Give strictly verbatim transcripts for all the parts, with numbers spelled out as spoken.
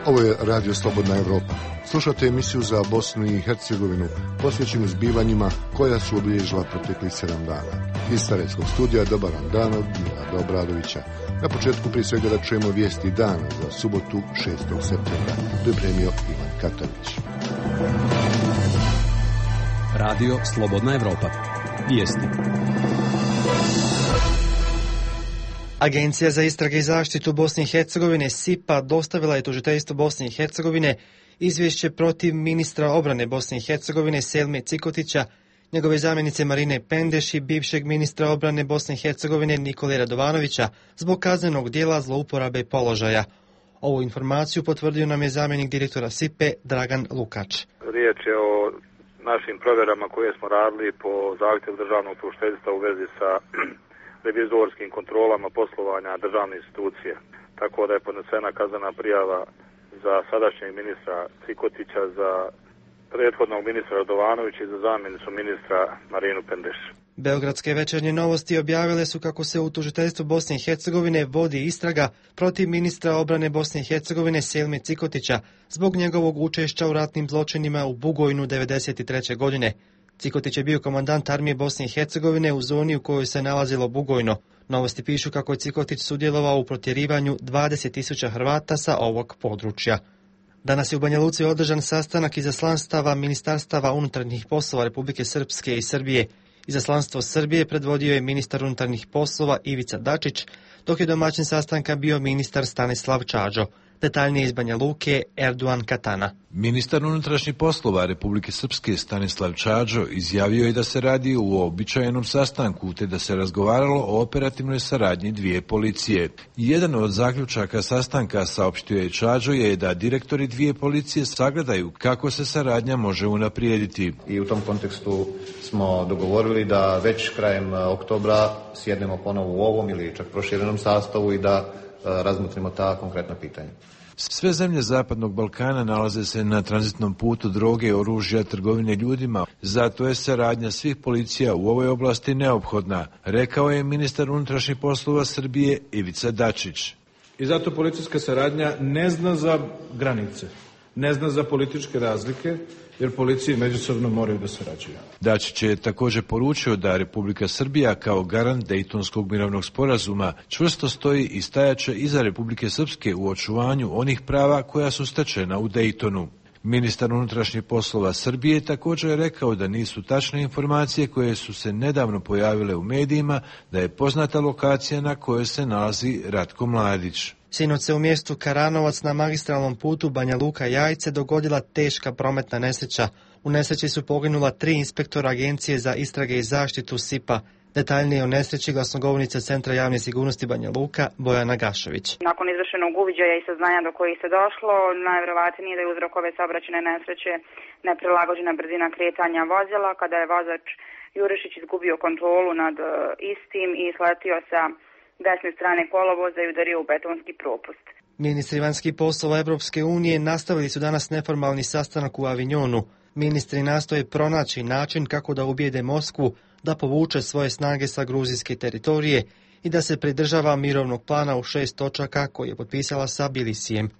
Ovo je Radio Slobodna Evropa. Slušate emisiju za Bosnu i Hercegovinu, posvećenu zbivanjima koja su obilježila proteklih sedam dana. Iz Sarajevskog studija dobar vam dan od Milada Obradovića. Na početku prije svega da čujemo vijesti dana za subotu šestog septembra. Pripremio Ivan Katanić. Radio Slobodna Evropa. Vijesti. Agencija za istrage i zaštitu Bosne i Hercegovine S I P A dostavila je tužiteljstvu Bosne i Hercegovine izvješće protiv ministra obrane Bosne i Hercegovine Selme Cikotića, njegove zamjenice Marine Pendeš i bivšeg ministra obrane Bosne i Hercegovine Nikole Radovanovića zbog kaznenog dijela zlouporabe položaja. Ovu informaciju potvrdio nam je zamjenik direktora S I P A Dragan Lukač. Riječ je o našim provjerama koje smo radili po zahtjevu državnog tužiteljstva u vezi sa revizorskim kontrolama poslovanja državne institucije. Tako da je podnesena kaznena prijava za sadašnjeg ministra Cikotića, za prethodnog ministra Radovanovića i za zamjenicu ministra Marinu Pendeš. Beogradske večernje novosti objavile su kako se u tužiteljstvu Bosne i Hercegovine vodi istraga protiv ministra obrane Bosne i Hercegovine Selme Cikotića zbog njegovog učešća u ratnim zločinima u Bugojnu devedeset treće godine. Cikotić je bio komandant armije Bosne i Hercegovine u zoni u kojoj se nalazilo Bugojno. Novosti pišu kako je Cikotić sudjelovao u protjerivanju dvadeset tisuća Hrvata sa ovog područja. Danas je u Banja Luci održan sastanak izaslanstava Ministarstava unutarnjih poslova Republike Srpske i Srbije. Izaslanstvo Srbije predvodio je ministar unutarnjih poslova Ivica Dačić, dok je domaćin sastanka bio ministar Stanislav Čađo. Detaljnije iz Banja Luke, Erduan Katana. Ministar unutrašnjih poslova Republike Srpske Stanislav Čađo izjavio je da se radi o uobičajenom sastanku te da se razgovaralo o operativnoj saradnji dvije policije. Jedan od zaključaka sastanka, saopštio je Čađo, je da direktori dvije policije sagledaju kako se saradnja može unaprijediti. I u tom kontekstu smo dogovorili da već krajem oktobra sjednemo ponovo u ovom ili čak proširenom sastavu i da razmotrimo ta konkretna pitanja. Sve zemlje Zapadnog Balkana nalaze se na tranzitnom putu droge, oružja, trgovine ljudima. Zato je saradnja svih policija u ovoj oblasti neophodna, rekao je ministar unutrašnjih poslova Srbije Ivica Dačić. I zato policijska saradnja ne zna za granice, ne zna za političke razlike, jer policije međusobno moraju da sarađuju. Dačić je također poručio da Republika Srbija kao garant Dejtonskog mirovnog sporazuma čvrsto stoji i stajaće iza Republike Srpske u očuvanju onih prava koja su stečena u Dejtonu. Ministar unutrašnjih poslova Srbije također je rekao da nisu tačne informacije koje su se nedavno pojavile u medijima, da je poznata lokacija na kojoj se nalazi Ratko Mladić. Sinoć se u mjestu Karanovac na magistralnom putu Banja Luka-Jajce dogodila teška prometna nesreća. U nesreći su poginula tri inspektora Agencije za istrage i zaštitu S I P A. Detaljnije o nesreći glasnogovornica Centra javne sigurnosti Banja Luka Bojana Gašović. Nakon izvršenog uviđaja i saznanja do kojih se došlo, najvjerovatnije da je uzrok ove saobraćajne nesreće neprilagođena brzina kretanja vozila, kada je vozač Jurišić izgubio kontrolu nad istim i sletio sa desne strane kolovoza i udario u betonski propust. Ministri vanjskih poslova Evropske unije nastavili su danas neformalni sastanak u Avignonu. Ministri nastoje pronaći način kako da ubijede Moskvu da povuče svoje snage sa gruzijske teritorije i da se pridržava mirovnog plana u šest točaka koji je potpisala sa Bilisijem.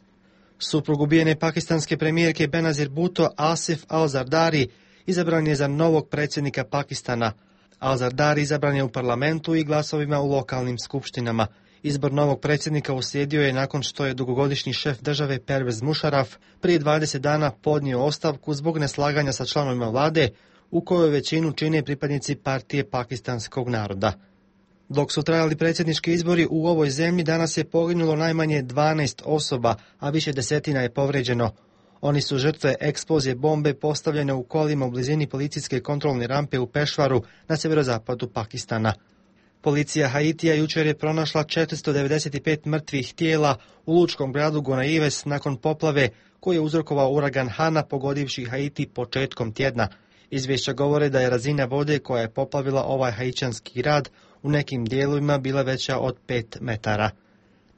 Suprug ubijene pakistanske premijerke Benazir Bhutto, Asif Al-Zardari, izabran je za novog predsjednika Pakistana. Al-Zardari izabran je u parlamentu i glasovima u lokalnim skupštinama. Izbor novog predsjednika uslijedio je nakon što je dugogodišnji šef države Pervez Musharraf prije dvadeset dana podnio ostavku zbog neslaganja sa članovima vlade u kojoj većinu čine pripadnici partije pakistanskog naroda. Dok su trajali predsjednički izbori u ovoj zemlji, danas je poginulo najmanje dvanaest osoba, a više desetina je povrijeđeno. Oni su žrtve eksplozije bombe postavljene u kolima u blizini policijske kontrolne rampe u Pešvaru na sjeverozapadu Pakistana. Policija Haitija jučer je pronašla četiristo devedeset pet mrtvih tijela u lučkom gradu Gonaives nakon poplave koju je uzrokovao uragan Hana pogodivši Haiti početkom tjedna. Izvješća govore da je razina vode koja je poplavila ovaj haićanski grad u nekim dijelovima bila veća od pet metara.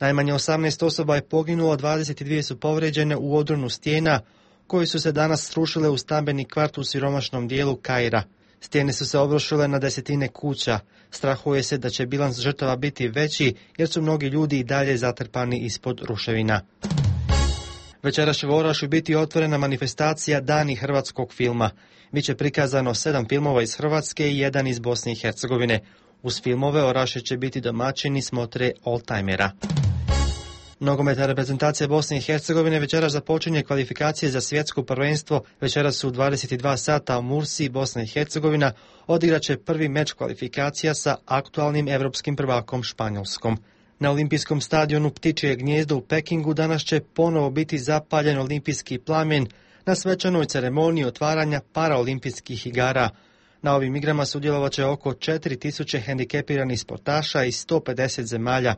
Najmanje osamnaest osoba je poginulo, dvadeset dvije su povrijeđene u odronu stijena koje su se danas srušile u stambeni kvart u siromašnom dijelu Kaira. Stijene su se obrušile na desetine kuća. Strahuje se da će bilans žrtava biti veći jer su mnogi ljudi i dalje zatrpani ispod ruševina. Večeras će u Orašju biti otvorena manifestacija Dani hrvatskog filma. Biće prikazano sedam filmova iz Hrvatske i jedan iz Bosne i Hercegovine. Uz filmove Orašje će biti domaćini smotre oldtimera. Nogometna reprezentacija Bosne i Hercegovine večeras započinje kvalifikacije za svjetsko prvenstvo. Večeras su u dvadeset dva sata u Mursi, Bosna i Hercegovina odigraće prvi meč kvalifikacija sa aktualnim evropskim prvakom Španjolskom. Na olimpijskom stadionu Ptičje gnijezdo u Pekingu danas će ponovo biti zapaljen olimpijski plamen na svečanoj ceremoniji otvaranja paraolimpijskih igara. Na ovim igrama sudjelovat će oko četiri tisuće hendikepiranih sportaša iz sto pedeset zemalja.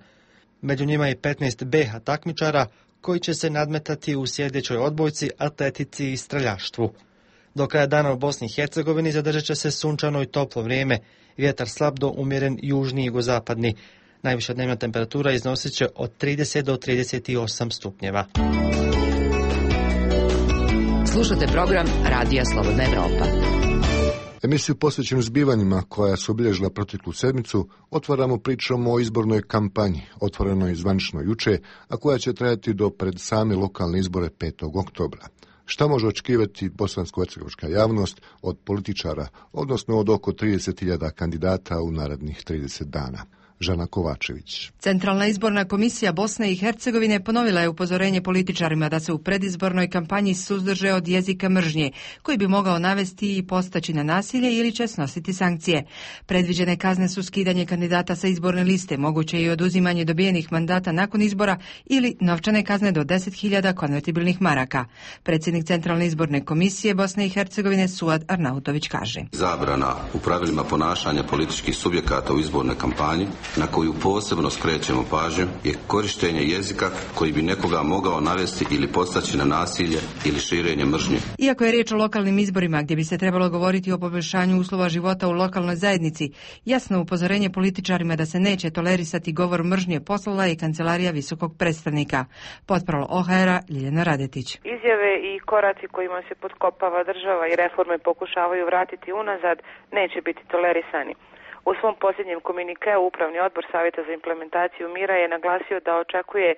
Među njima je petnaest B H takmičara koji će se nadmetati u sljedećoj odbojci, atletici i streljaštvu. Do kraja dana u Bosni i Hercegovini zadržat će se sunčano i toplo vrijeme, vjetar slab do umjeren južni i jugozapadni. Najviša dnevna temperatura iznosit će od trideset do trideset osam stupnjeva. Slušate program Radija Slobodna Evropa. Emisiju posvećenu zbivanjima koja su obilježila proteklu sedmicu otvaramo pričom o izbornoj kampanji, otvorenoj zvanično juče, a koja će trajati do pred same lokalne izbore petog oktobra. Šta može očekivati bosansko-hercegovačka javnost od političara, odnosno od oko trideset hiljada kandidata u narednih trideset dana? Žana Kovačević. Centralna izborna komisija Bosne i Hercegovine ponovila je upozorenje političarima da se u predizbornoj kampanji suzdrže od jezika mržnje, koji bi mogao navesti i postaći na nasilje ili će snositi sankcije. Predviđene kazne su skidanje kandidata sa izborne liste, moguće i oduzimanje dobijenih mandata nakon izbora ili novčane kazne do deset hiljada konvertibilnih maraka. Predsjednik Centralne izborne komisije Bosne i Hercegovine Suad Arnautović kaže: Zabrana u pravilima ponašanja političkih subjekata u izbornoj kampanji, na koju posebno skrećemo pažnju, je korištenje jezika koji bi nekoga mogao navesti ili podstaći na nasilje ili širenje mržnje. Iako je riječ o lokalnim izborima gdje bi se trebalo govoriti o poboljšanju uslova života u lokalnoj zajednici, jasno upozorenje političarima da se neće tolerisati govor mržnje poslala je Kancelarija visokog predstavnika. Potpralo O H R-a Ljiljana Radetić. Izjave i koraci kojima se potkopava država i reforme pokušavaju vratiti unazad neće biti tolerisani. U svom posljednjem komunikeu Upravni odbor Savjeta za implementaciju mira je naglasio da očekuje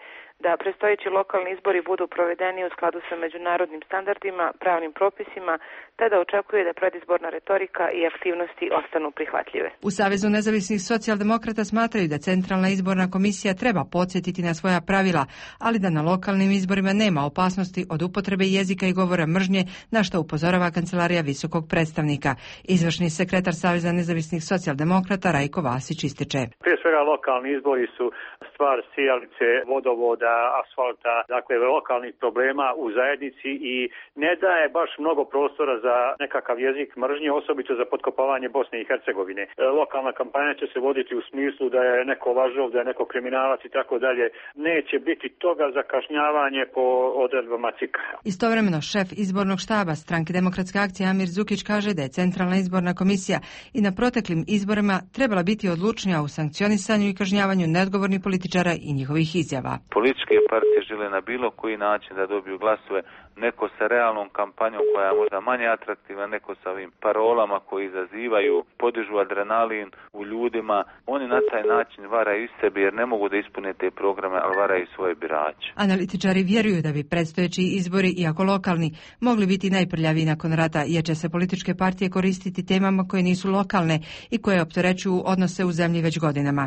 da predstojeći lokalni izbori budu provedeni u skladu sa međunarodnim standardima, pravnim propisima, te da očekuje da predizborna retorika i aktivnosti ostanu prihvatljive. U Savezu nezavisnih socijaldemokrata smatraju da Centralna izborna komisija treba podsjetiti na svoja pravila, ali da na lokalnim izborima nema opasnosti od upotrebe jezika i govora mržnje, na što upozorava Kancelarija visokog predstavnika. Izvršni sekretar Saveza nezavisnih socijaldemokrata Rajko Vasić ističe: Prije svega lokalni izbori su stvar sijalice, vodovoda, asfalta, dakle lokalnih problema u zajednici i ne daje baš mnogo prostora za nekakav jezik mržnje, osobito za potkopavanje Bosne i Hercegovine. Lokalna kampanja će se voditi u smislu da je neko lažov, da je neko kriminalac i tako dalje. Neće biti toga za kažnjavanje po odredbama C I K-a. Istovremeno šef izbornog štaba Stranke Demokratske akcije Amir Zukić kaže da je Centralna izborna komisija i na proteklim izborima trebala biti odlučnija u sankcionisanju i kažnjavanju neodgovornih političara i njihovih izjava. Političke partije žele na bilo koji način da dobiju glasove, neko sa realnom kampanjom koja je možda manje atraktivna, neko sa ovim parolama koji izazivaju, podižu adrenalin u ljudima. Oni na taj način varaju sebe jer ne mogu da ispune te programe, ali varaju svoje birače. Analitičari vjeruju da bi predstojeći izbori, iako lokalni, mogli biti najprljaviji nakon rata, jer će se političke partije koristiti temama koje nisu lokalne i koje opterećuju odnose u zemlji već godinama.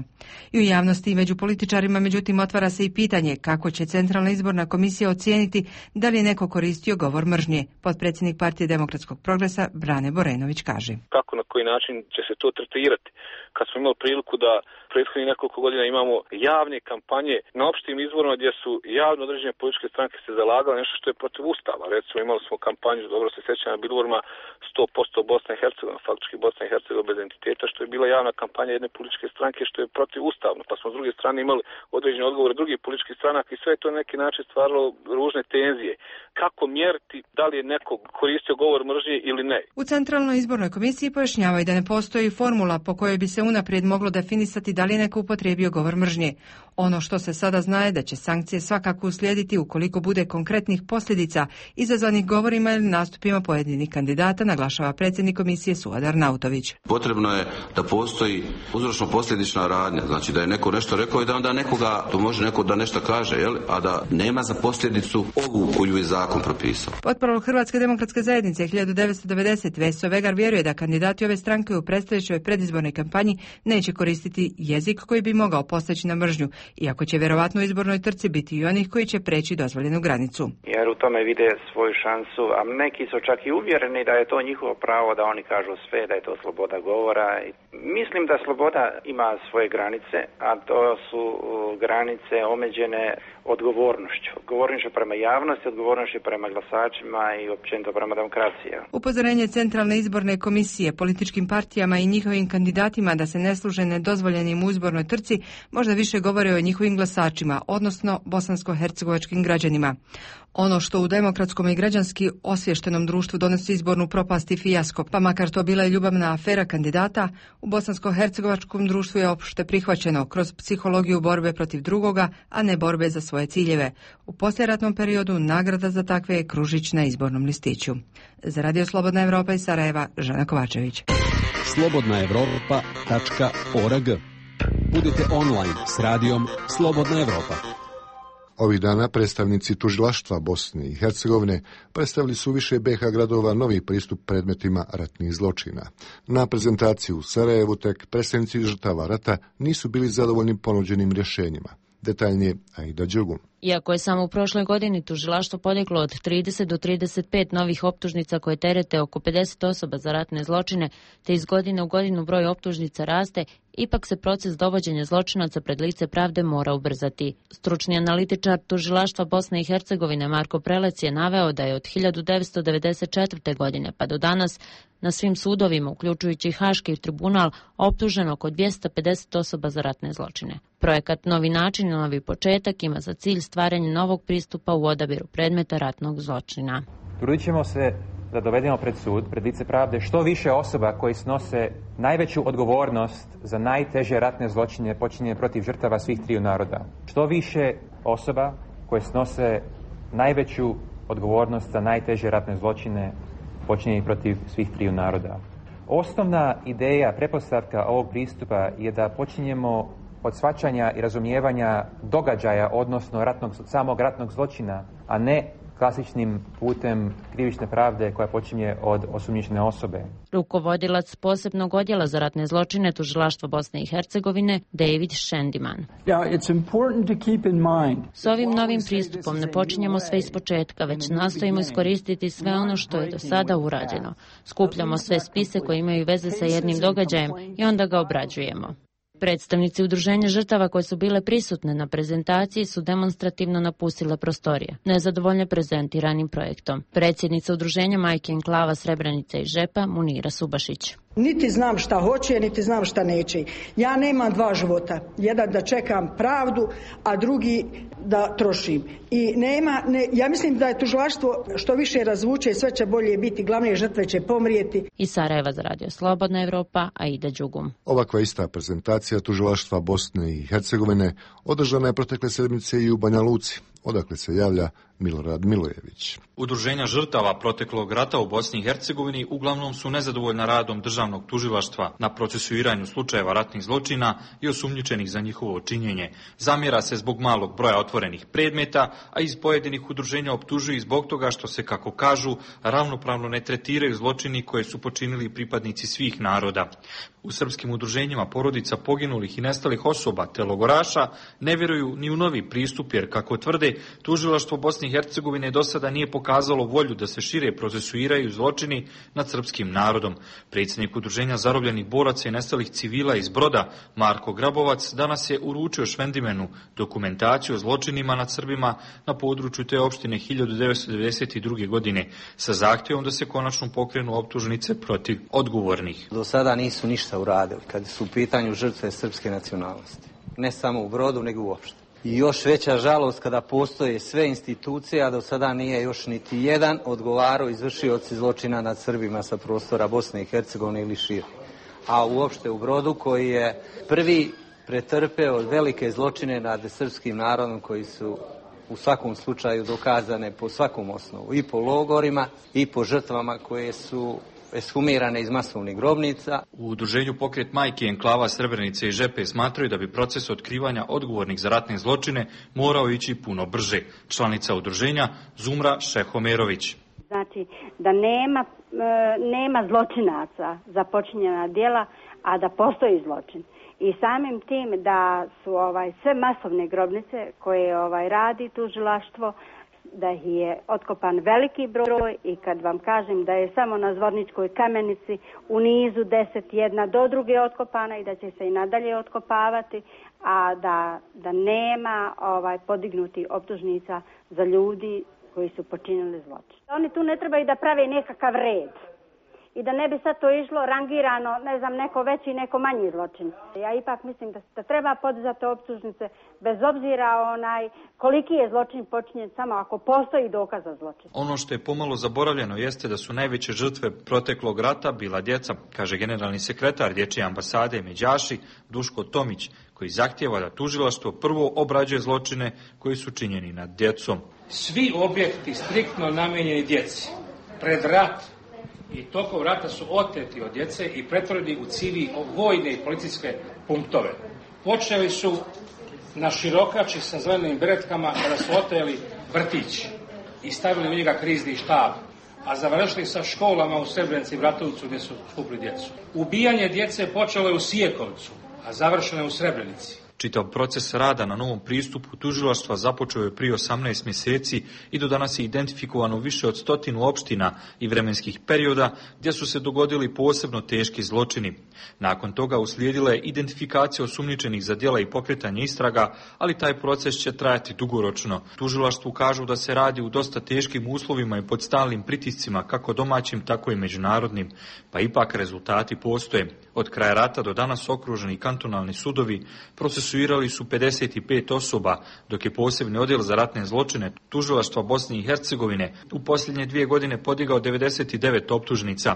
I u javnosti i među političarima, međutim, otvara se i pitanje kako će Centralna izborna komisija ocijeniti da li je neko koristio govor mržnje. Potpredsjednik Partije demokratskog progresa Brane Borenović kaže: Kako, na koji način će se to tretirati? Kad smo imali priliku da prethodnih nekoliko godina imamo javne kampanje na opštim izborima gdje su javno određene političke stranke se zalagale nešto što je protiv Ustava. Recimo imali smo kampanju, dobro se sjećam, na bilborima sto posto Bosna i Hercegovina, faktički Bosna i Hercegovina bez entiteta, što je bila javna kampanja jedne političke stranke što je protiv Ustavno. Pa smo s druge strane imali određene odgovore drugih političkih stranaka i sve je to na neki način stvaralo ružne tenzije. Kako mjeriti da li je neko koristio govor mržnje ili ne? U Centralnoj izbornoj komisiji pojašnjavaju kao i da ne postoji formula po kojoj bi se unaprijed moglo definisati da li je neko upotrijebio govor mržnje. Ono što se sada zna je da će sankcije svakako uslijediti ukoliko bude konkretnih posljedica izazvanih govorima ili nastupima pojedinih kandidata, naglašava predsjednik komisije Suad Arnautović. Potrebno je da postoji uzročno-posljedična radnja, znači da je neko nešto rekao i da onda nekoga, to može neko da nešto kaže, jel? A da nema za posljedicu ovu koju je zakon propisao. Potporol Hrvatske demokratske zajednice hiljadu devetsto devedeset Veso Vegar vjeruje da kandidati ove stranke u predstojećoj predizbornoj kampanji neće koristiti jezik koji bi mogao postaći na mržnju, iako će vjerovatno u izbornoj trci biti i onih koji će preći dozvoljenu granicu. Jer u tome vide svoju šansu, a neki su čak i uvjereni da je to njihovo pravo, da oni kažu sve, da je to sloboda govora. Mislim da sloboda ima svoje granice, a to su granice omeđene odgovornošću. Odgovornošću prema javnosti, odgovornošću prema glasačima i općenito prema demokraciji. Upozorenje Centralne izborne komisije političkim partijama i njihovim kandidatima da se ne služe nedozvoljenim u izbornoj trci možda više govore o njihovim glasačima, odnosno bosansko-hercegovačkim građanima. Ono što u demokratskom i građanski osviještenom društvu donosi izbornu propast i fijasko, pa makar to bila i ljubavna afera kandidata, u bosansko-hercegovačkom društvu je opšte prihvaćeno kroz psihologiju borbe protiv drugoga, a ne borbe za svoje ciljeve. U poslijeratnom periodu nagrada za takve je kružić na izbornom listiću. Za Radio Slobodna Evropa iz Sarajeva, Žana Kovačević. slobodna evropa tačka org. Budite online s radijom Slobodna Evropa. Ovih dana predstavnici tužilaštva Bosne i Hercegovine predstavili su više B iH gradova novi pristup predmetima ratnih zločina. Na prezentaciju u Sarajevu tek predstavnici žrtava rata nisu bili zadovoljni ponuđenim rješenjima. Detaljnije Aida Đugum. Iako je samo u prošloj godini tužilaštvo podiglo od trideset do trideset pet novih optužnica koje terete oko pedeset osoba za ratne zločine, te iz godine u godinu broj optužnica raste, ipak se proces dovođenja zločinaca pred lice pravde mora ubrzati. Stručni analitičar tužilaštva Bosne i Hercegovine Marko Prelec je naveo da je od hiljadu devetsto devedeset četvrte. godine pa do danas na svim sudovima, uključujući Haški tribunal, optuženo oko dvjesto pedeset osoba za ratne zločine. Projekat Novi način i novi početak ima za cilj stvaranje novog pristupa u odabiru predmeta ratnog zločina. Trudit ćemo se da dovedemo pred sud, pred lice pravde, što više osoba koji snose najveću odgovornost za najteže ratne zločine počinjene protiv žrtava svih triju naroda. Što više osoba koje snose najveću odgovornost za najteže ratne zločine počinjene protiv svih triju naroda. Osnovna ideja, pretpostavka ovog pristupa je da počinjemo od shvaćanja i razumijevanja događaja, odnosno ratnog, samog ratnog zločina, a ne klasičnim putem krivične pravde koja počinje od osumnjičene osobe. Rukovodilac posebnog odjela za ratne zločine tužilaštva Bosne i Hercegovine David Shendiman. S ovim novim pristupom ne počinjemo sve ispočetka, već nastojimo iskoristiti sve ono što je do sada urađeno. Skupljamo sve spise koje imaju veze sa jednim događajem i onda ga obrađujemo. Predstavnici udruženja žrtava koje su bile prisutne na prezentaciji su demonstrativno napustile prostorije, nezadovoljne prezentiranim projektom. Predsjednica udruženja Majke Enklava Srebrenica i Žepa Munira Subašić. Niti znam šta hoće, niti znam šta neće. Ja nemam dva života. Jedan da čekam pravdu, a drugi da trošim. I nema, ne, ja mislim da je tužilaštvo što više razvuče, sve će bolje biti, glavne žrtve će pomrijeti. Iz Sarajeva za Radio Slobodna Evropa, Aida Đugum. Ovakva ista prezentacija tužilaštva Bosne i Hercegovine održana je protekle sedmice i u Banja Luci, odakle se javlja Milorad Milojević. Udruženja žrtava proteklog rata u Bosni i Hercegovini uglavnom su nezadovoljna radom državnog tužilaštva na procesuiranju slučajeva ratnih zločina i osumnjičenih za njihovo činjenje. Zamjera se zbog malog broja otvorenih predmeta, a iz pojedinih udruženja optužuju i zbog toga što se, kako kažu, ravnopravno ne tretiraju zločini koje su počinili pripadnici svih naroda. U srpskim udruženjima porodica poginulih i nestalih osoba te logoraša ne vjeruju ni u novi pristup, jer, kako tvrde, tužilaštvo Bosne i Hercegovine do sada nije pokazalo volju da se šire procesuiraju zločini nad srpskim narodom. Predsjednik udruženja zarobljenih boraca i nestalih civila iz Broda, Marko Grabovac, danas je uručio Švendimenu dokumentaciju o zločinima nad Srbima na području te opštine hiljadu devetsto devedeset druge. godine sa zahtjevom da se konačno pokrenu optužnice protiv odgovornih. Do sada nisu ništa uradili kad su u pitanju žrtve srpske nacionalnosti. Ne samo u Brodu, nego uopšte. i još veća žalost kada postoje sve institucije, a do sada nije još niti jedan odgovarao izvršioci zločina nad Srbima sa prostora Bosne i Hercegovine ili šire. A uopšte u Brodu koji je prvi pretrpeo velike zločine nad srpskim narodom koji su u svakom slučaju dokazane po svakom osnovu, i po logorima i po žrtvama koje su eshumirane iz masovnih grobnica. U udruženju Pokret majki enklava Srebrenice i Žepe smatraju da bi proces otkrivanja odgovornih za ratne zločine morao ići puno brže. Članica udruženja Zumra Šehomerović. Znači da nema, nema zločinaca za počinjena djela, a da postoji zločin. I samim tim da su ovaj sve masovne grobnice koje ovaj radi tužilaštvo, da ih je otkopan veliki broj, i kad vam kažem da je samo na Zvorničkoj kamenici u nizu deset jedna do druge otkopana i da će se i nadalje otkopavati, a da, da nema ovaj podignuti optužnica za ljudi koji su počinili zločin. Oni tu ne trebaju da prave nekakav red i da ne bi sad to išlo rangirano, ne znam, neko veći, neko manji zločin. Ja ipak mislim da, da treba podizati optužnice bez obzira onaj koliki je zločin počinjen, samo ako postoji dokaz za zločin. Ono što je pomalo zaboravljeno jeste da su najveće žrtve proteklog rata bila djeca, kaže generalni sekretar Dječje ambasade Međaši Duško Tomić, koji zahtijeva da tužilaštvo prvo obrađuje zločine koji su činjeni nad djecom. Svi objekti striktno namijenjeni djeci pred rat i tokom rata su oteti od djece i pretvoreni u civil vojne i policijske punktove. Počeli su na Širokači sa zelenim beretkama kada su oteli vrtić i stavili u njega krizni štab, a završili sa školama u Srebrenici i Bratovcu gdje su skupili djecu. Ubijanje djece počelo je u Sijekovcu, a završeno je u Srebrenici. Čitav proces rada na novom pristupu tužilaštva započeo je prije osamnaest mjeseci i do danas je identifikovano više od stotinu opština i vremenskih perioda gdje su se dogodili posebno teški zločini. Nakon toga uslijedila je identifikacija osumnjičenih za djela i pokretanje istraga, ali taj proces će trajati dugoročno. Tužilaštvu kažu da se radi u dosta teškim uslovima i pod stalnim pritiscima, kako domaćim, tako i međunarodnim, pa ipak rezultati postoje. Od kraja rata do danas okruženi kantonalni sudovi procesuirali su pedeset pet osoba, dok je posebni odjel za ratne zločine tužilaštva Bosne i Hercegovine u posljednje dvije godine podigao devedeset devet optužnica.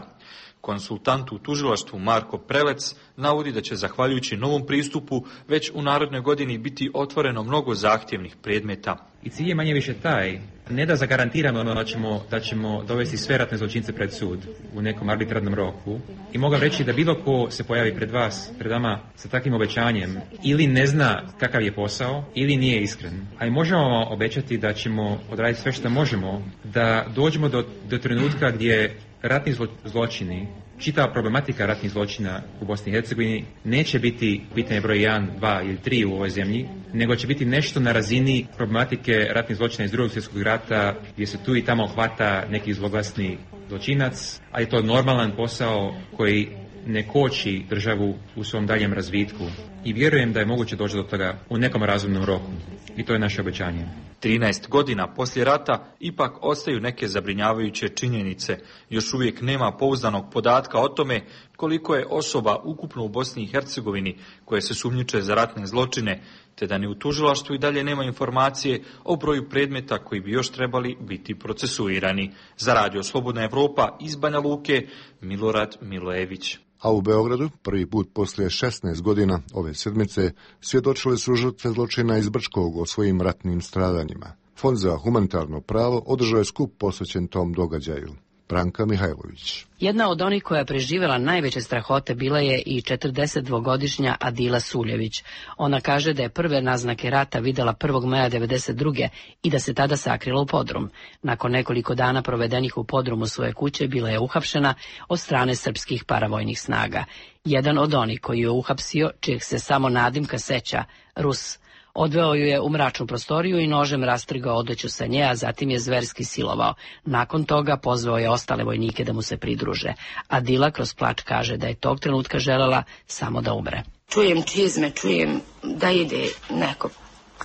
Konsultant u tužilaštvu Marko Prelec navodi da će zahvaljujući novom pristupu već u narednoj godini biti otvoreno mnogo zahtjevnih predmeta. I cilj je manje više taj, ne da zagarantiramo ono da ćemo, da ćemo dovesti sve ratne zločince pred sud u nekom arbitrarnom roku, i mogu reći da bilo ko se pojavi pred vas, pred vama sa takvim obećanjem, ili ne zna kakav je posao, ili nije iskren. A i možemo vam obećati da ćemo odraditi sve što možemo da dođemo do, do trenutka gdje ratni zlo, zločini, čitava problematika ratnih zločina u Bosni i Hercegovini neće biti pitanje broj jedan, dva ili tri u ovoj zemlji, nego će biti nešto na razini problematike ratnih zločina iz drugog svjetskog rata, gdje se tu i tamo hvata neki zloglasni zločinac, a je to normalan posao koji ne koči državu u svom daljem razvitku. I vjerujem da je moguće doći do toga u nekom razumnom roku. I to je naše obećanje. trinaest godina poslije rata ipak ostaju neke zabrinjavajuće činjenice. Još uvijek nema pouzdanog podatka o tome koliko je osoba ukupno u Bosni i Hercegovini koje se sumnjiče za ratne zločine, te da ni u tužilaštvu i dalje nema informacije o broju predmeta koji bi još trebali biti procesuirani. Za Radio Slobodna Evropa iz Banja Luke, Milorad Milojević. A u Beogradu, prvi put poslije šesnaest godina ove sedmice, svjedočile su žrtve zločina iz Brčkog o svojim ratnim stradanjima. Fond za humanitarno pravo održao je skup posvećen tom događaju. Branka Mihajlović. Jedna od onih koja je preživjela najveće strahote bila je i četrdesetdvogodišnja Adila Suljević. Ona kaže da je prve naznake rata vidjela prvog maja devedeset druge i da se tada sakrila u podrum. Nakon nekoliko dana provedenih u podrumu svoje kuće bila je uhapšena od strane srpskih paravojnih snaga. Jedan od onih koji je uhapsio, čijeg se samo nadimka seća, Rus, odveo ju je u mračnu prostoriju i nožem rastrigao odeću sa nje, a zatim je zverski silovao. Nakon toga pozvao je ostale vojnike da mu se pridruže. Adila kroz plač kaže da je tog trenutka želela samo da umre. Čujem čizme, čujem da ide neko.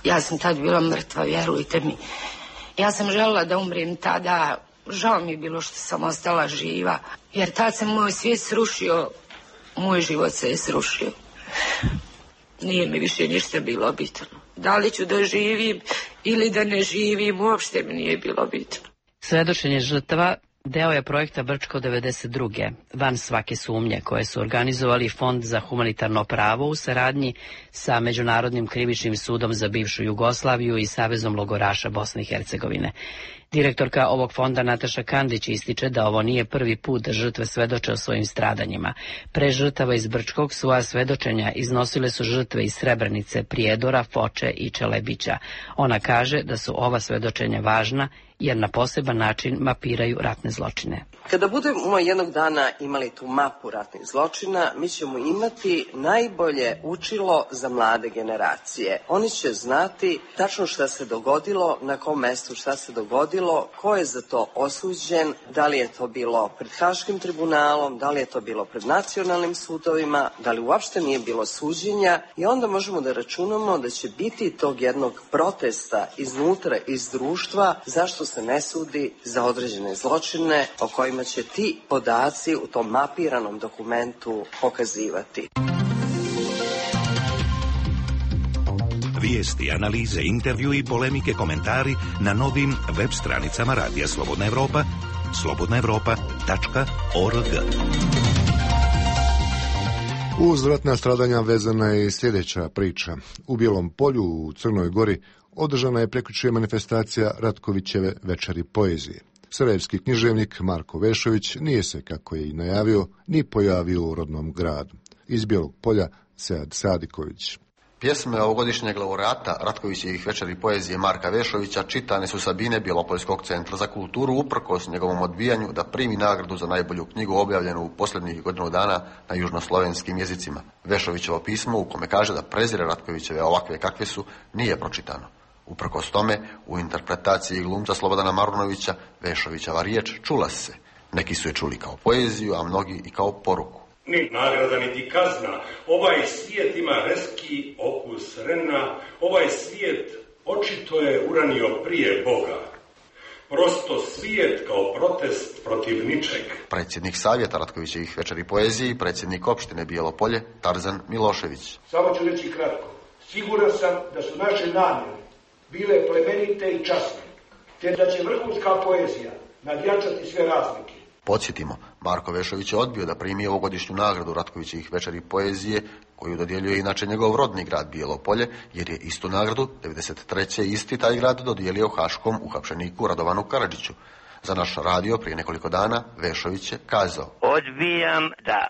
Ja sam tad bila mrtva, vjerujte mi. Ja sam želela da umrem tada. Žao mi je bilo što sam ostala živa, jer tad se moj svijet srušio, moj život se je srušio. nije mi više ništa bilo bitno. Da li ću da živim ili da ne živim, uopšte mi nije bilo bitno. Svedočenje žrtava deo je projekta Brčko devedeset druge, van svake sumnje, koje su organizovali Fond za humanitarno pravo u saradnji sa Međunarodnim krivičnim sudom za bivšu Jugoslaviju i Savezom logoraša Bosne i Hercegovine. Direktorka ovog fonda Nataša Kandić ističe da ovo nije prvi put da žrtve svedoče o svojim stradanjima. Pre žrtava iz Brčkog svoja svedočenja iznosile su žrtve iz Srebrenice, Prijedora, Foče i Čelebića. Ona kaže da su ova svedočenja važna jer na poseban način mapiraju ratne zločine. Kada budemo jednog dana imali tu mapu ratnih zločina, mi ćemo imati najbolje učilo za mlade generacije. Oni će znati tačno šta se dogodilo, na kom mestu šta se dogodilo, ko je za to osuđen, da li je to bilo pred Haškim tribunalom, da li je to bilo pred nacionalnim sudovima, da li uopšte nije bilo suđenja, i onda možemo da računamo da će biti tog jednog protesta iznutra, iz društva, zašto se ne sudi za određene zločine o kojima će ti podaci u tom mapiranom dokumentu pokazivati. Vijesti, analize, intervju i polemike, komentari na novim web stranicama Radija Slobodna Evropa, slobodna evropa tačka org. Uz ratna stradanja vezana je sljedeća priča. U Bijelom Polju u Crnoj Gori održana je prekjučer manifestacija Ratkovićeve večeri poezije. Sarajevski književnik Marko Vešović nije se, kako je i najavio, ni pojavio u rodnom gradu. Iz Bijelog Polja Sead Sadiković. Pjesme ovogodišnjeg laureata Ratkovićevih večeri poezije Marka Vešovića čitane su sa bine Bjelopoljskog centra za kulturu uprkos njegovom odbijanju da primi nagradu za najbolju knjigu objavljenu u posljednjih godinu dana na južnoslovenskim jezicima. Vešovićevo pismo, u kome kaže da prezire Ratkovićeve ovakve kakve su, nije pročitano. Uprkos tome, u interpretaciji glumca Slobodana Marunovića, Vešovićeva riječ čula se. Neki su je čuli kao poeziju, a mnogi i kao poruku. Ni nagrada, niti kazna. Ovaj svijet ima reski okus rena. Ovaj svijet očito je uranio prije Boga. Prosto svijet kao protest protiv ničeg. Predsjednik savjeta Ratkovićevih večeri poezije i predsjednik opštine Bijelo Polje, Tarzan Milošević. Samo ću reći kratko. Siguran sam da su naše namjere bile plemenite i časne, te da će vrhunska poezija nadjačati sve razlike. Podsjetimo, Marko Vešović je odbio da primi ovogodišnju nagradu Ratkovićevih večeri poezije, koju dodjeljuje inače njegov rodni grad Bijelo Polje, jer je istu nagradu devedeset treće isti taj grad dodijelio haškom uhapšeniku Radovanu Karadžiću. Za naš radio prije nekoliko dana Vešović je kazao: Odbijam da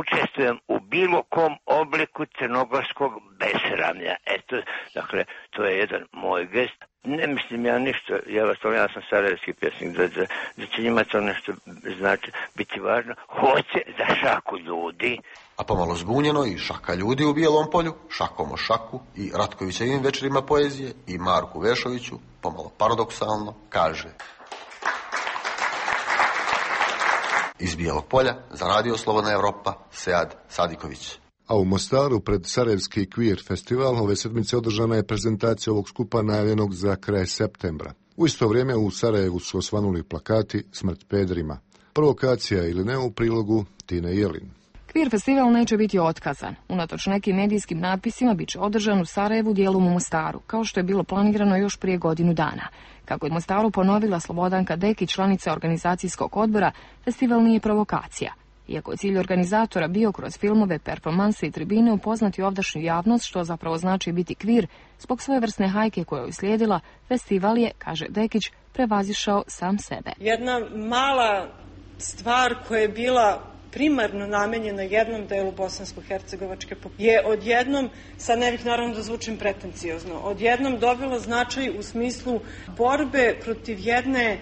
učestvujem u bilo kom obliku crnogorskog besramlja. Eto, dakle, to je jedan moj gest. Ne mislim ja ništa, ja vas to, ja sam sarajevski pjesnik, da, da, da će njima to nešto znači biti važno. Hoće za šaku ljudi. A pomalo zbunjeno i šaka ljudi u Bijelom Polju, šakom o šaku i Ratkovićevim večerima poezije i Marku Vešoviću, pomalo paradoksalno, kaže: Iz Bijelog Polja za Radio Slobodna Evropa, Sead Sadiković. A u Mostaru pred Sarajevski Queer festival ove sedmice održana je prezentacija ovog skupa najavljenog za kraj septembra. U isto vrijeme u Sarajevu su osvanuli plakati Smrt pederima. Provokacija ili ne u prilogu Tine Jelin. Queer festival neće biti otkazan. Unatoč nekim medijskim natpisima bit će održan u Sarajevu, dijelom u Mostaru, kao što je bilo planirano još prije godinu dana. Kako je Mostaru ponovila Slobodanka Dekić, članica organizacijskog odbora, festival nije provokacija. Iako je cilj organizatora bio kroz filmove, performanse i tribine upoznati ovdašnju javnost, što zapravo znači biti queer, zbog svojevrsne hajke koja je uslijedila, festival je, kaže Dekić, prevazišao sam sebe. Jedna mala stvar koja je bila primarno namenjena jednom delu bosansko-hercegovačke populacije je odjednom, sad ne bih naravno da zvučim pretenciozno, odjednom dobila značaj u smislu borbe protiv jedne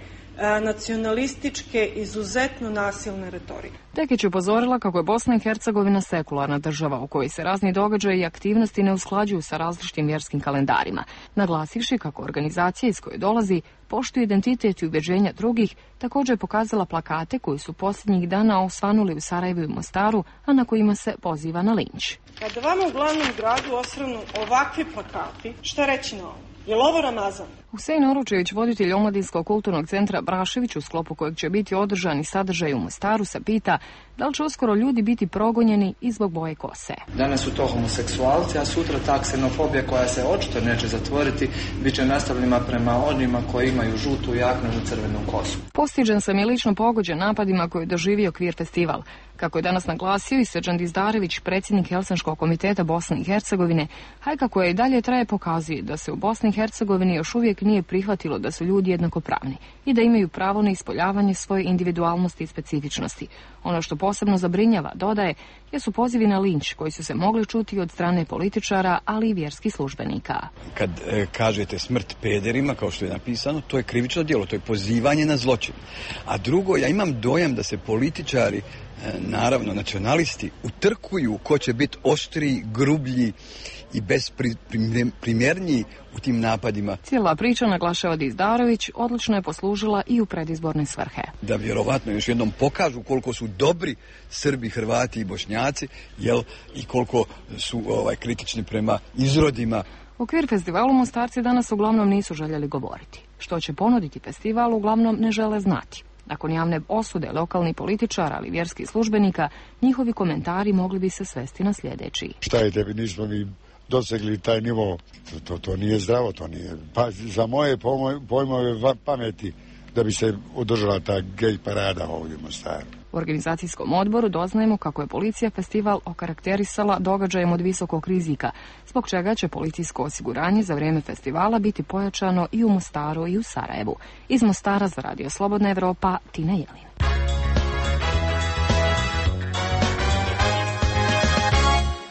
nacionalističke, izuzetno nasilne retorike. Dekić je upozorila kako je Bosna i Hercegovina sekularna država u kojoj se razni događaji i aktivnosti ne usklađuju sa različitim vjerskim kalendarima, naglasivši kako organizacija iz koje dolazi poštuje identitet i ubeđenja drugih, također je pokazala plakate koji su posljednjih dana osvanuli u Sarajevu i Mostaru, a na kojima se poziva na linč. Kada vama u glavnom gradu osvrnu ovakvi plakati, šta reći na ovo? Je li ovo Ramazan? Husein Oručević, voditelj Omladinskog kulturnog centra Brašević, u sklopu kojeg će biti održani sadržaj u Mostaru, se pita Da li će uskoro ljudi biti progonjeni i zbog boje kose? Danas su to homoseksualci, a sutra ta ksenofobija koja se očito neće zatvoriti, bit će nastavljena prema onima koji imaju žutu jaknu i crvenu kosu. Postiđen sam je lično pogođen napadima koje je doživio Queer festival. Kako je danas naglasio i Srđan Dizdarević, predsjednik Helsinškog komiteta Bosne i Hercegovine, hajka koja i dalje traje pokazuje da se u Bosni i Hercegovini još uvijek nije prihvatilo da su ljudi jednakopravni i da imaju pravo na ispoljavanje svoje individualnosti i specifičnosti. Ono što posebno zabrinjava, dodaje, jesu pozivi na linč koji su se mogli čuti od strane političara, ali i vjerskih službenika. Kad e, kažete smrt pederima, kao što je napisano, to je krivično djelo, to je pozivanje na zločin. A drugo, ja imam dojam da se političari, e, naravno nacionalisti, utrkuju ko će biti oštriji, grublji i bezprimjerniji u tim napadima. Cijela priča, naglašava Dizdarović, odlično je poslužila i u predizborne svrhe. Da vjerovatno još jednom pokažu koliko su dobri Srbi, Hrvati i Bošnjaci, jel, i koliko su ovaj, kritični prema izrodima. O Queer festivalu Mostarci danas uglavnom nisu željeli govoriti. Što će ponuditi festival uglavnom ne žele znati. Nakon javne osude lokalnih političara, ali vjerskih službenika, njihovi komentari mogli bi se svesti na sljedeći. Šta je tebi, nismo mi dosegli taj nivo, to, to nije zdravo, to nije, pa za moje pojmove pameti da bi se održala ta gej parada ovdje u Mostaru. U organizacijskom odboru doznajemo kako je policija festival okarakterisala događajem od visokog rizika, zbog čega će policijsko osiguranje za vrijeme festivala biti pojačano i u Mostaru i u Sarajevu. Iz Mostara za Radio Slobodna Evropa, Tina Jelin.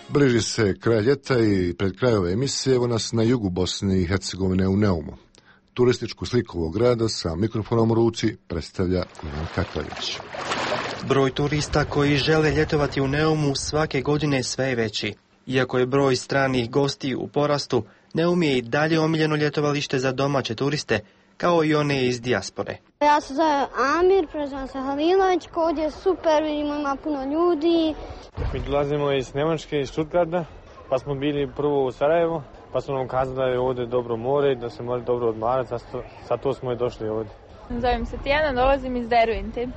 Bliži se kraj ljeta i pred kraj ove emisije evo nas na jugu Bosne i Hercegovine u Neumu. Turističku sliku ovog grada sa mikrofonom u ruci predstavlja Ivan Katalić. Broj turista koji žele ljetovati u Neumu svake godine sve je veći. Iako je broj stranih gostiju u porastu, Neum je i dalje omiljeno ljetovalište za domaće turiste, kao i one iz dijaspore. Ja se zove Amir, prezivam se Halilović, ovdje je super, vidimo ima puno ljudi. Mi dolazimo iz Njemačke, iz Stuttgarta, pa smo bili prvo u Sarajevu, pa su nam kazali da je ovdje dobro more i da se može dobro odmarati, zato smo i došli ovdje. Zovem se Tijana, dolazim iz Dervente.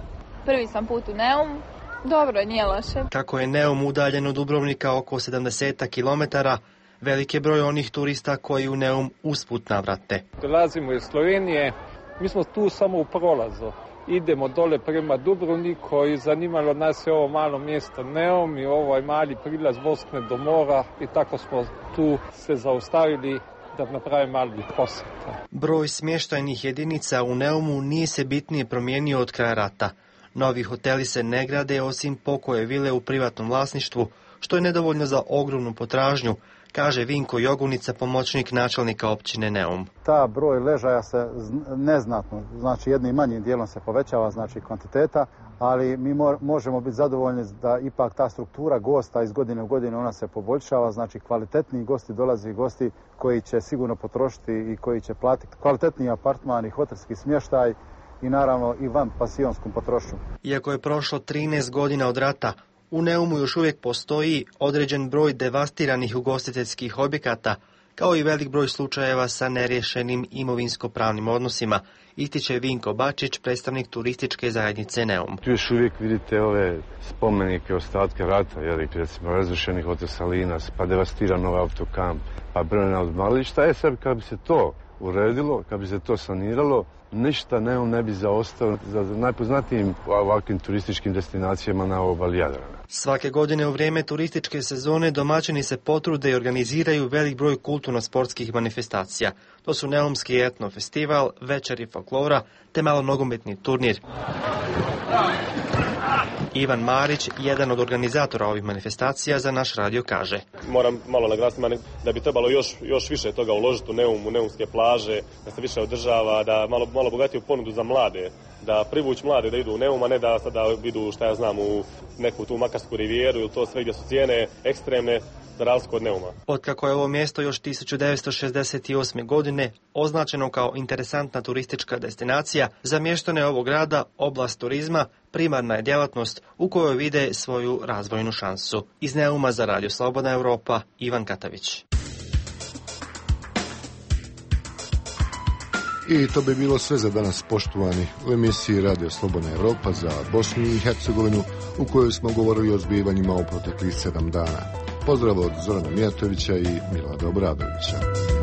Prvi sam put u Neum, dobro, nije loše. Kako je Neum udaljen od Dubrovnika oko sedamdeset kilometara, velik je broj onih turista koji u Neum usput navrate. Dolazimo iz Slovenije, mi smo tu samo u prolazu. Idemo dole prema Dubrovniku i zanimalo nas je ovo malo mjesto Neum i ovaj mali prilaz Bosne do mora i tako smo tu se zaustavili da napravimo mali posjet. Broj smještajnih jedinica u Neumu nije se bitnije promijenio od kraja rata. Novi hoteli se ne grade osim pokoje vile u privatnom vlasništvu, što je nedovoljno za ogromnu potražnju, kaže Vinko Jogunica, pomoćnik načelnika općine Neum. Ta broj ležaja se neznatno, znači jednim manjim dijelom se povećava, znači kvantiteta, ali mi možemo biti zadovoljni da ipak ta struktura gosta iz godine u godinu ona se poboljšava, znači kvalitetniji gosti dolazi, gosti koji će sigurno potrošiti i koji će platiti kvalitetniji apartman i hotelski smještaj i naravno i van pasijonskom potrošnju. Iako je prošlo trinaest godina od rata, u Neumu još uvijek postoji određen broj devastiranih ugostiteljskih objekata, kao i velik broj slučajeva sa neriješenim imovinsko-pravnim odnosima, ističe Vinko Bačić, predstavnik turističke zajednice Neum. Tu još uvijek vidite ove spomenike, ostatke rata, jeli, recimo razrušeni hotel Salinas, pa devastiran ovaj autokamp, pa brojna odmarališta. E sad, kad bi se to uredilo, kad bi se to saniralo, ništa Neum ne bi zaostao za najpoznatijim ovakvim turističkim destinacijama na obali Jadrana. Svake godine u vrijeme turističke sezone domaćini se potrude i organiziraju velik broj kulturno-sportskih manifestacija. To su Neumski etno festival, večeri folklora te malo nogometni turnir. Ivan Marić, jedan od organizatora ovih manifestacija, za naš radio kaže. Moram malo naglasiti da bi trebalo još, još više toga uložiti u Neum, u neumske plaže, da se više održava, da malo, malo bogatiju ponudu za mlade, da privući mlade da idu u Neum, a ne da sada idu, šta ja znam, u neku tu Makarsku rivijeru ili to sve gdje su cijene ekstremne, za razliku od Neuma. Otkako je ovo mjesto još tisuću devetsto šezdeset osme. godine označeno kao interesantna turistička destinacija, za mještane ovog grada oblast turizma primarna je djelatnost u kojoj vide svoju razvojnu šansu. Iz Neuma za Radio Slobodna Evropa, Ivan Katavić. I to bi bilo sve za danas, poštovani, u emisiji Radio Slobodna Evropa za Bosnu i Hercegovinu, u kojoj smo govorili o zbivanjima u proteklih sedam dana. Pozdrav od Zorana Mijatovića i Milada Obradovića.